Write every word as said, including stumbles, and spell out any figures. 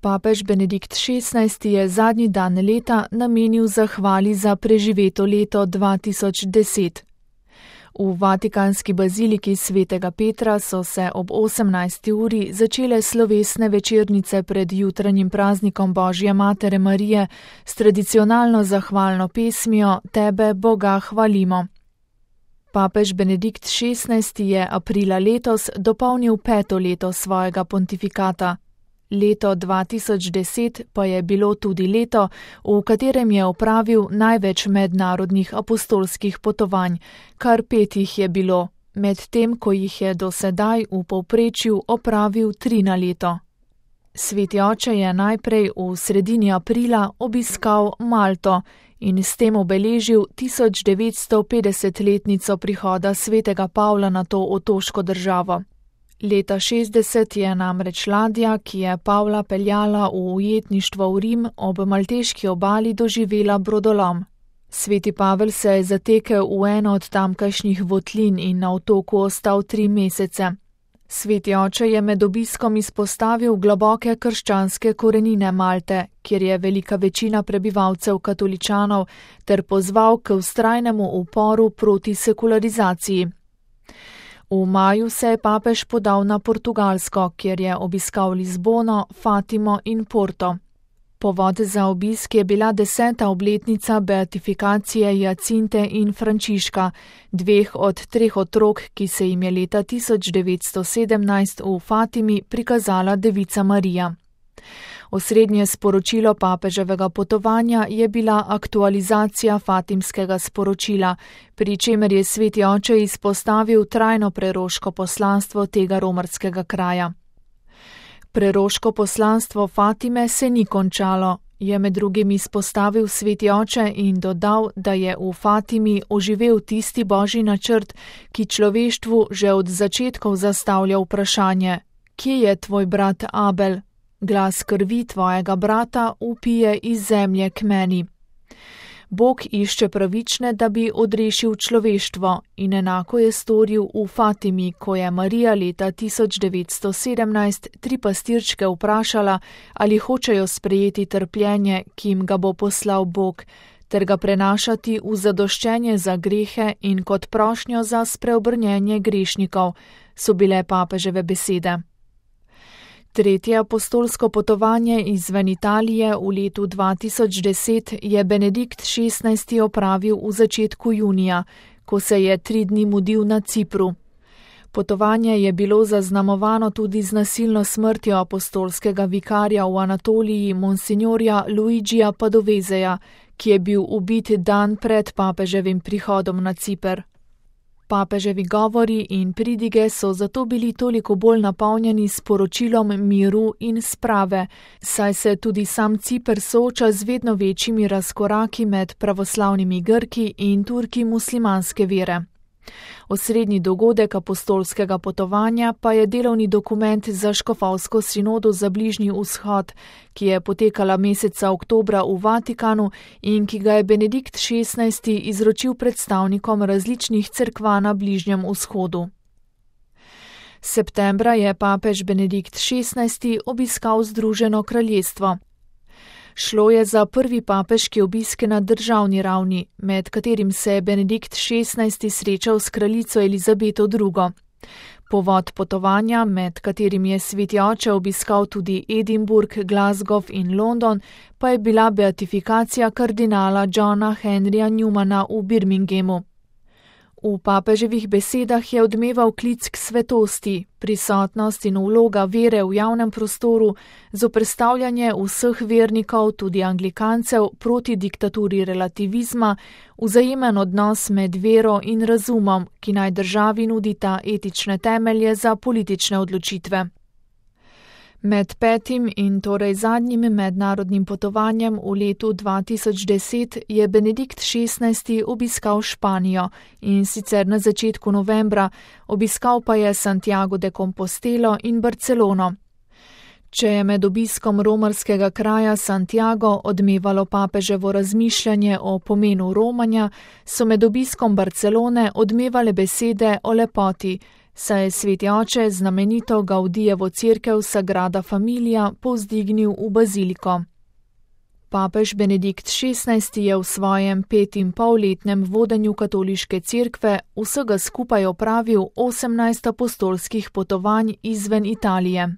Papež Benedikt šestnajsti je zadnji dan leta namenil zahvali za preživeto leto dva tisoč deset. V vatikanski baziliki svetega Petra so se ob osemnajsti uri začele slovesne večernice pred jutranjim praznikom Božje matere Marije s tradicionalno zahvalno pesmijo Tebe, Boga, hvalimo. Papež Benedikt šestnajsti je aprila letos dopolnil peto leto svojega pontifikata. Leto dva tisoč deset pa je bilo tudi leto, v katerem je opravil največ mednarodnih apostolskih potovanj, kar pet jih je bilo, medtem ko jih je do sedaj v povprečju opravil tri na leto. Sveti oče je najprej v sredini aprila obiskal Malto in s tem obeležil tisoč devetsto petdesetletnico prihoda svetega Pavla na to otoško državo. Leta šestdeset je namreč ladja, ki je Pavla peljala v ujetništvo v Rim, ob malteški obali doživela brodolom. Sveti Pavel se je zatekel v eno od tamkajšnjih votlin in na otoku ostal tri mesece. Sveti oče je med obiskom izpostavil globoke krščanske korenine Malte, kjer je velika večina prebivalcev katoličanov, ter pozval k vztrajnemu uporu proti sekularizaciji. V maju se je papež podal na Portugalsko, kjer je obiskal Lizbono, Fatimo in Porto. Povod za obisk je bila deseta obletnica beatifikacije Jacinte in Frančiška, dveh od treh otrok, ki se jim je leta tisoč devetsto sedemnajst v Fatimi prikazala Devica Marija. Osrednje sporočilo papeževega potovanja je bila aktualizacija fatimskega sporočila, pri čemer je sveti oče izpostavil trajno preroško poslanstvo tega romarskega kraja. Preroško poslanstvo Fatime se ni končalo, je med drugim izpostavil sveti oče in dodal, da je v Fatimi oživel tisti božji načrt, ki človeštvu že od začetkov zastavlja vprašanje: kje je tvoj brat Abel? Glas krvi tvojega brata vpije iz zemlje k meni. Bog išče pravične, da bi odrešil človeštvo, in enako je storil v Fatimi, ko je Marija leta tisoč devetsto sedemnajst tri pastirčke vprašala, ali hočejo sprejeti trpljenje, ki jim ga bo poslal Bog, ter ga prenašati v zadoščenje za grehe in kot prošnjo za spreobrnjenje grešnikov, so bile papeževe besede. Tretje apostolsko potovanje izven Italije v letu dva tisoč deset je Benedikt šestnajsti opravil v začetku junija, ko se je tri dni mudil na Cipru. Potovanje je bilo zaznamovano tudi z nasilno smrtjo apostolskega vikarja v Anatoliji monsignorja Luigija Padovezeja, ki je bil ubit dan pred papeževim prihodom na Ciper. Papeževi govori in pridige so zato bili toliko bolj napolnjeni s poročilom miru in sprave, saj se tudi sam Ciper sooča z vedno večjimi razkoraki med pravoslavnimi Grki in Turki muslimanske vere. Osrednji dogodek apostolskega potovanja pa je delovni dokument za škofovsko sinodo za Bližnji vzhod, ki je potekala meseca oktobra v Vatikanu in ki ga je Benedikt šestnajsti izročil predstavnikom različnih cerkva na Bližnjem vzhodu. Septembra je papež Benedikt šestnajsti obiskal Združeno kraljestvo. Šlo je za prvi papeški obisk na državni ravni, med katerim se je Benedikt šestnajsti srečal s kraljico Elizabeto drugo. Povod potovanja, med katerim je sveti oče obiskal tudi Edinburgh, Glasgow in London, pa je bila beatifikacija kardinala Johna Henryja Newmana v Birminghamu. V papeževih besedah je odmeval klic k svetosti, prisotnost in vloga vere v javnem prostoru, zoperstavljanje vseh vernikov, tudi anglikancev, proti diktaturi relativizma, vzajemen odnos med vero in razumom, ki naj državi nudita etične temelje za politične odločitve. Med petim in torej zadnjim mednarodnim potovanjem v letu dva tisoč deset je Benedikt šestnajsti obiskal Španijo in sicer na začetku novembra, obiskal pa je Santiago de Compostelo in Barcelono. Če je med obiskom romarskega kraja Santiago odmevalo papeževo razmišljanje o pomenu romanja, so med obiskom Barcelone odmevale besede o lepoti, saj je sveti oče znamenito Gaudijevo cerkev Sagrada Familia povzdignil v baziliko. Papež Benedikt šestnajsti je v svojem petinpolletnem vodenju katoliške cerkve vsega skupaj opravil osemnajst apostolskih potovanj izven Italije.